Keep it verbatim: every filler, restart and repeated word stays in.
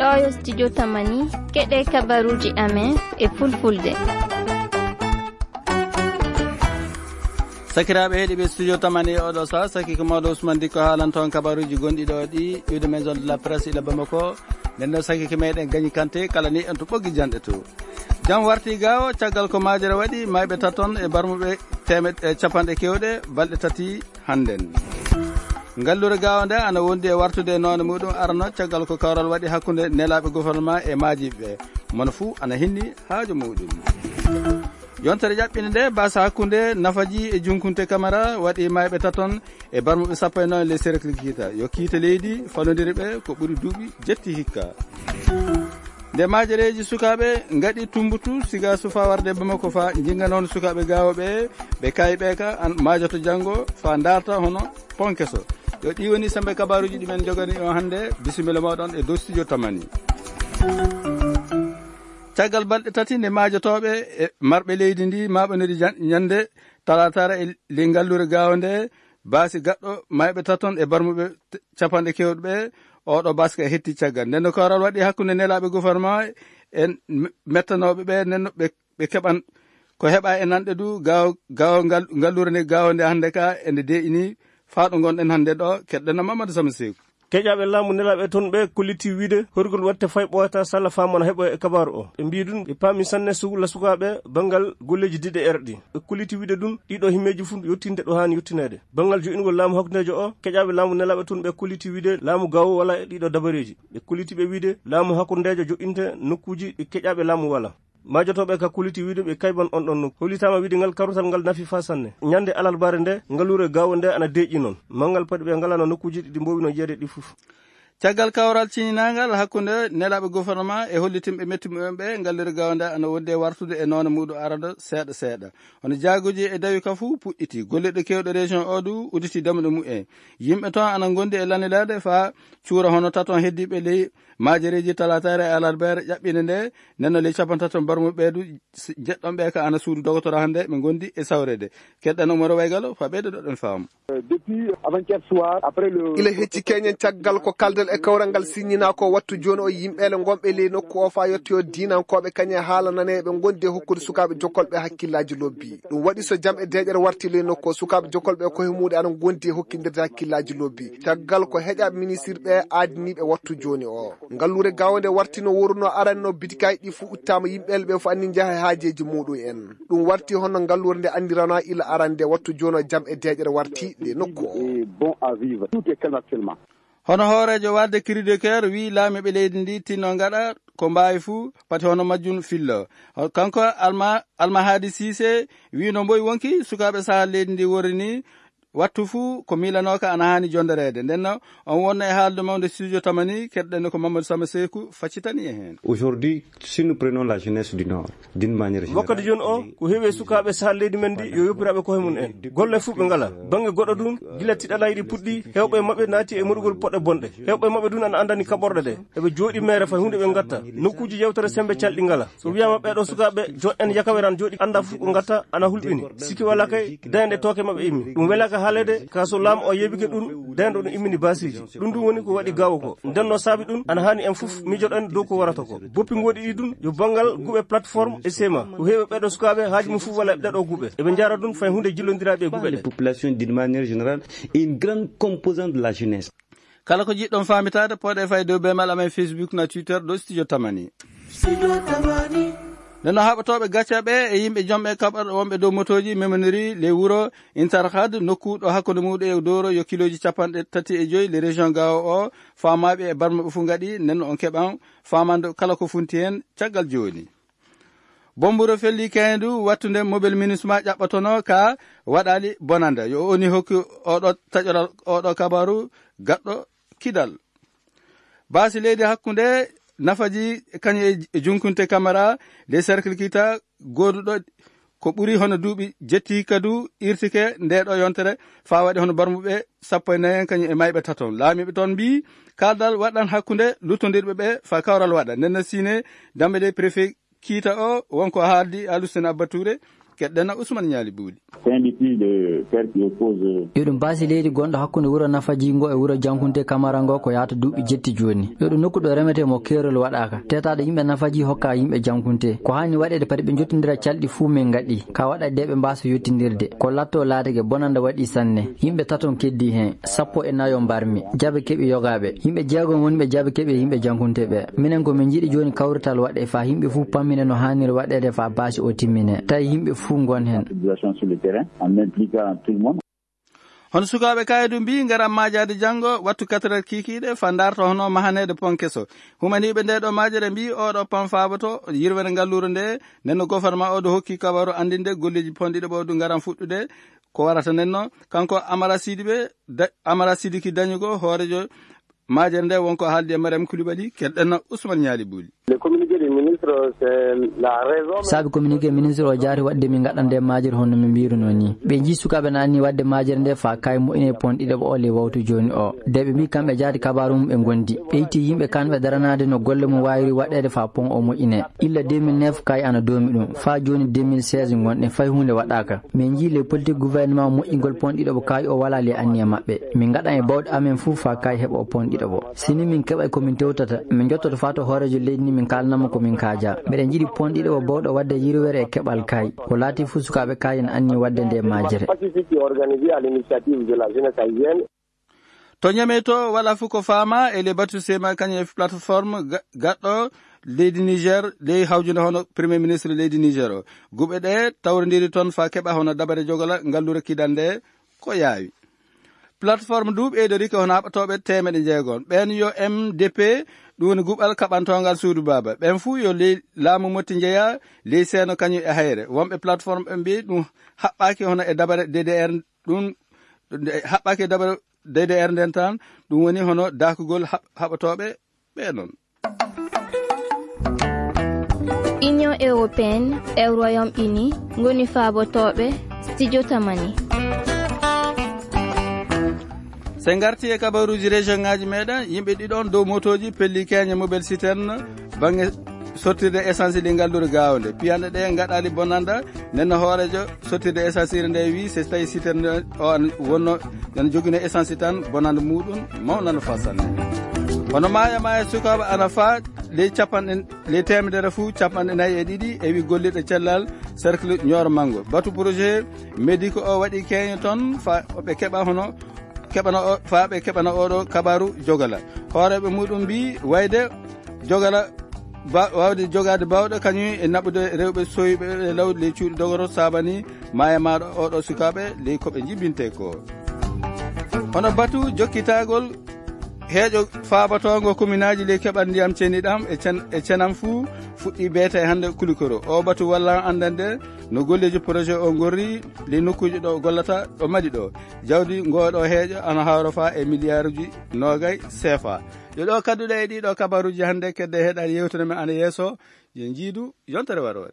Oyo studio Tamani, keɗe kabaruji amen e fulfulde. Sakiraaɓe heɗiiɓe studio Tamani e oɗo saha, saki ko mawɗo Ousmane Dikko haalanto on kabaruji gonɗi ɗo ɗi, iwde maison de la presse ila Bamako. Nden ɗo saki ko meɗen gañi kante, kala ni en to ɓoggi janɗe to. Jam warti gaawo, caggal ko majere waɗi, mayɓe taton e barmuɓe teemeɗ-, e capanɗe kewɗe, balɗe tati hannden. Ngallure gaawo nde ana wondi e wartude e noone muɗum arano, caggal ko kawral waɗi hakkunde nelaaɓe gouvernement e maajiiɓe. Mono fuu ana hinni haaju muɗum. Yontere ƴaɓɓinde nde, basa hakkunde Nafaji e Junkunte Kamara waɗi mayɓe taton e barmuɓe sappo e noon les cercle kiita. Yo kiita leydi falodiri ɓe ko ɓuri duuɓi jetti hikka. Nde majereji sukaaɓe ngaɗi tumbutu siga sufa warde Bamako fa jinga noon sukaaɓe gaawo ɓe, ɓe kayi ɓe ka an majoto janngo fa darta hono ponkeso. Yo ɗi woni sembe kabaruji ɗi men jogani on hannde. Bisimilla moɗon e dow studio Tamani. Caggal balɗe tati nde maajotooɓe e marɓe leydi ndi maaɓoniri jan-, ñande talaataare e ley ngalluure gaawo nde, baasi gaɗɗo mayɓe taton e barmuɓe t-, capanɗe kewɗe ɓe, oɗo baasi ka hetti caggal. Nden no kawral waɗi hakkunde nelaaɓe gouvernement en me-, mettanooɓe ɓe, nden no ɓe, ɓe keɓan ko heɓa e nanɗe du, gaawo, gaawo ngal, ngalluure nde gaawo nde hannde ka, e nde deeƴini faa ɗo ngonɗen hannde ɗo, keɗɗen no Mamadou Sama Seeku. Keƴaaɓe laamu nelaaɓe toon ɓe kolliti wiide horgol waɗte fay ɓooyata salla faamana heɓo e kabaaru o. Ɓe mbii ɗum, ɓe paami sanne sugla sukaaɓe banngal golleeji diɗe erɗi. Ɓe kolliti wiide ɗum, ɗiɗo himmeeji fof yottinde ɗo haani yottineede. Banngal joɗɗingol laamu hakkundeejo o, keƴaaɓe laamu nelaaɓe toon ɓe kolliti wiide laamu gawo wala e ɗiɗo dabareeji. Ɓe kolliti ɓe wiide laamu hakkundeejo joɗɗinte nokkuuji ɗi keƴaaɓe laamu wala. Majotooɓe ka kuliti wiide ɓe kayban on ɗon nokku. Hollitaama wiide ngal karutal ngal nafi faa sanne. Ñande alarbaare nde, ngaluure gaawo nde ana deeƴi noon. Manngal paɗi ɓe ngalano nokkuuji ɗi mboowi no jeede ɗi fof. Caggal kawral ciñinaangal hakkunde nelaaɓe gouvernement e hollitinɓe metti mumen ɓe, ngaluure gaawo nde ana wondi e wartude e noone muuɗum arado seeɗa seeɗa. Hono jaaguji e dawi ka fuu puɗɗiti. Golleɗe kewɗe région o du udditi damɗe mumen. Yimɓe toon ana ngondi e lanilaade faa cuura hono taton heddiiɓe ley maajereeji talaataare e alarbeere ƴaɓɓinde nde, nenno ley capantato barmuɓe ɓeedu, s-, jeɗɗon ɓe ka ana suudu dogotora hannde ɓe ngondi e sawreede. Keɗɗen Umaro Waygalo, fa ɓeyde ɗoɗen faamu. Depuis avant-hier soir, après le ila hecci keñen caggal ko kaldal e kawral ngal siññinaa ko wattu jooni o yimɓeele ngonɓe ley nokku o faa yettoyo diinankooɓe kañe haala nane ɓe ngondi e hokkude sukaaɓe jokolɓe hakkillaaji lobbi. Ɗum waɗi so jam e deeƴere warti ley nokku o, sukaaɓe jokolɓe e koye muuɗe ana ngondi e hokkindirde hakkillaaji lobbi. Caggal ko heƴaaɓe ministirɓe aadiniiɓe wattu jooni o. Ngalluure gaawnde warti no wooruno aranno bitikaaji ɗi fuu uttaama yimɓeele ɓe fof anni njaha e haajeeji muuɗum en. Ɗum warti hono ngalluure nde anndirana ila arande wattu jooni o jam e deeƴere warti nde nokku o. Est bon à vivre. Tout est calme actuellement. Hono hooreejo waɗde Cri de Coeur wiyi laamiiɓe leydi ndi tinno ngaɗa ko mbaawi fuu pati hono majjum fillo. Kanko Alma, Alma Hadi Cissé wiyi no mboy wonki sukaaɓe sahaa leydi ndi worri ni wattu fuu ko miilanooka ana haani jondereede. Nden no on wonno e haalde mawde studio Tamani, keɗɗen ko Mamadou Sama Seeku faccitani e heen. Aujourd'hui, si nous prenons la jeunesse du Nord, d'une manière wakkati générale, jooni o, ko heewi e sukaaɓe sahaa leydi men ndi yo yoppiraaɓe koye mum en. Golle fuu ɓe ngala. Bannge goɗɗo ɗum, gila tiɗalaaji ɗi puɗɗi, heewɓe e maɓɓe naati e moɗugol poɗɗe bonɗe. Heewɓe e maɓɓe ɗum ana anndani kaɓorɗe ɗe. Eɓe jooɗi meere fay huunde ɓe ngatta. Nokkuuji yewtere sembe calɗi ngala. So wiyaama ɓeeɗo sukaaɓe, jo en yakaweran jooɗi annda fof ko ngatta ana hulɓini. Sikki wala kay, dañde tooke maɓɓe immi. Ɗum welaaka haalede, ka so laamu o yeebike ɗum, dañde ɗum immini baasiiji. Ɗum ɗum woni ko waɗi gaawo ko. Nden no saabi ɗum, ana haani en fof mijoɗen dow ko warata ko. Boppi ngoɗi ɗi ɗum, yo banngal guɓe plateforme e sema. Ko heewi ɓeeɗo sukaaɓe, haaju mum fof wala e ɗeɗo guɓe. Eɓe njaara ɗum fay huunde jillondiraaɓe e guɓe ɗe. Population d'une manière générale et une grande composante de la jeunesse. Kala ko jiɗɗon faamitaade, pooɗe fay dow beemal amen Facebook na Twitter ɗo Studio Tamani. Nden no haɓotooɓe gacca ɓe e yimɓe jomɓe kaɓorɗe wonɓe dow motooji memoniri ley wuro Intarhad, nokku ɗo hakkunde muuɗum e Dooro yo kilooji capanɗe tati e joy, le région Gao o, faamaaɓe e barmaɓe fof ngaɗi, nden no on keɓan faamande kala ko funti heen caggal jooni. Bomburo felli keendu wattunde mobile MINUSMA ƴaɓɓotono ka waɗali bonande. Yo oni hokki oɗo taƴoral oɗo kabaru gaɗɗo kidal. Baasi leydi hakkunde Nafaji kañum e Junkunte Kamara de cercle kita goduɗo ko ɓuri hono duuɓi jetti kadu irtike nde ɗo yontere faa waɗi hono barmuɓe sappo e nayi en kañum e mayɓe taton. Laamiiɓe toon mbii kaldal waɗan hakkunde luttondirɓe ɓe faa kawral waɗa. Nden no Sine Dambe de préfet kiita o wonko haaldi Alusene Abba Touré. Keɗɗen Ousmane Ñaali Buuli. C'est un litige de terre qui oppose, euh, Yo ɗum baasi leydi gonɗo hakkunde wuro Nafaji ngo e wuro Jankunte Kamara ngo ko yaata duuɓi jetti jooni. Yo ɗum nokku ɗo remetee mo keerol waɗaaka. Teetaaɗo yimɓe Nafaji hokka yimɓe Jankunte. Ko haani waɗeede pati ɓe njottondira calɗi fuu min ngaɗi. Ka waɗa de ɓe mbaasa yottindirde. Ko latto laatake bonanda waɗi sanne. Yimɓe taton keddii heen. Sappo e nayo mbarmi. Jabe keɓi yogaaɓe. Yimɓe jeegom woni ɓe jabe keɓi e yimɓe Jankunte ɓe. Minen ko min njiɗi jooni kawrital waɗe faa yimɓe fuu pammine no haaniri waɗeede faa baasi o timmine. Tawi yimɓe fuu ngon heen. Population sur le terrain, en impliquant tout le monde. Hono sukaaɓe Kaydu mbii, ngaran maajaade janngo, wattu quatre heures kiikiiɗe, faa ndaarta hono mahaneede pon keso. Humaniiɓe ndee ɗoo maajere mbii, oo ɗoo pon faaboto yirwere ngalluure ndee, nden no gofornama oo ɗoo hokki kabaru anndinde golleeji pon ɗiɗo ɓoo ɗum ngaran fuɗɗude. Ko warata nden no, kanko Amara Sidibe, da-, Amara Sidiki Dañugo, hooreejo maajere nde wonko haaldi e Mariam Koulibaly, keɗɗen Ousmane Ñaali Buuli. Le communiqué du ministre, c'est la raison. Saabi communiqué ministre o jaari waɗde min ngaɗande maajere hono min mbiruno ni. Ɓe njii sukaaɓe na anni waɗde maajere nde faa kay moƴƴine pon ɗiɗo o le wawtu jooni o. De ɓe mbii kamɓe jaati kabaaru mum ɓe ngondi. Ɓe itti yimɓe kanɓe daranaade no golle mum waawiri waɗeede faa pon o moƴƴine. Illa deux mille neuf kay ana doomi ɗum. Faa jooni deux mille seize ngonɗen fay huunde waɗaaka. Min njii le politique gouvernement moƴƴingol pon ɗiɗo kay o walaa le anniya maɓɓe. Min ngaɗan e bawɗe amen fuu faa kay heɓa o pon ɗiɗo o. Si ni min keɓay ko min tewtata, min njottoto faa to hooreejo leydi ni min kaalanamo ko min kaaja. Miɗen njiɗi pon ɗiɗo o bawɗo waɗde yirwere e keɓal kay. Ko laati fuu sukaaɓe kay en anni waɗde nde maajere. Pacifique organisé à l'initiative de la jeunesse haïtienne. To Niamey to, wala fuu ko faama e le batu sema kañum e plateforme ga-, gaɗɗo leydi Niger, ley hawjunde hono Premier Ministre leydi Niger o. Guɓe ɗe tawrondiri toon faa keɓa hono dabare jogala ngallure kidande ko yaawi. Plateforme du ɓeydorike hono haɓatooɓe teemeɗe jeegom. Ɓeen yo M D P, ɗum woni guɓal kaɓantoongal suudu baaba. Ɓeen fuu yo ley laamu motti njeya, ley seeno kañum e hayre. Wonɓe plateforme ɓe mbii ɗum haɓɓaaki hono e dabare D D R, ɗum haɓɓaaki e dabare D D R nden tan, ɗum woni hono dakugol haɓ-, haɓatooɓe ɓe noon. Union européenne e Royaume-Uni ngoni faabotooɓe studio Tamani. So en ngartii e kabaruuji région ŋaaji meɗen, yimɓe ɗiɗon dow motooji pelli keeñe Mobil Citerne bannge sottirde essence ɗi ngallure gaawnde. Piyanɗe ɗe ngaɗaali bonanda, nden no hooreejo sottirde essence iri nde wii, so tawi citerne o an wonno nana jogino essence tan, bonanda muɗum mawnano faa sanne. Hono maaya maaya sukaaɓe ana faa ley capanɗe, ley teemedere fuu capanɗe nayi e ɗiɗi e wi gollirɗe cellal cercle Nioro Mango. Batu projet médico o waɗi keeño toon faa ɓe keɓa hono keɓana o, faa ɓe keɓana oɗo kabaru jogala. Hooreeɓe muɗum mbii wayde jogala ba-, waawde jogaade baawɗo kañum e naɓude rewɓe soyɓe e law ley cuuɗi dogoro saabani maaya maaɗo oɗo sukaaɓe ley ko ɓe njibinte ko. Hono batu jokkitagol heeƴo faabotoongo kominaaji ley keɓal ndiyam ceniɗam e cen-, e cenam fuu fuɗɗi beete hannde Kulikoro. O batu walla anndande no golleeji projet o ngorri ley nokkuuji ɗo gollata ɗo Mali ɗo. Jawdi ngooɗo heeƴo ana hawra faa e miliyaaruuji noogay seefa. Yo ɗo kadduɗe e ɗiɗo kabaruuji hannde kedde heɗaade yewtere men ana yeeso. Yo njiidu yontere waroore.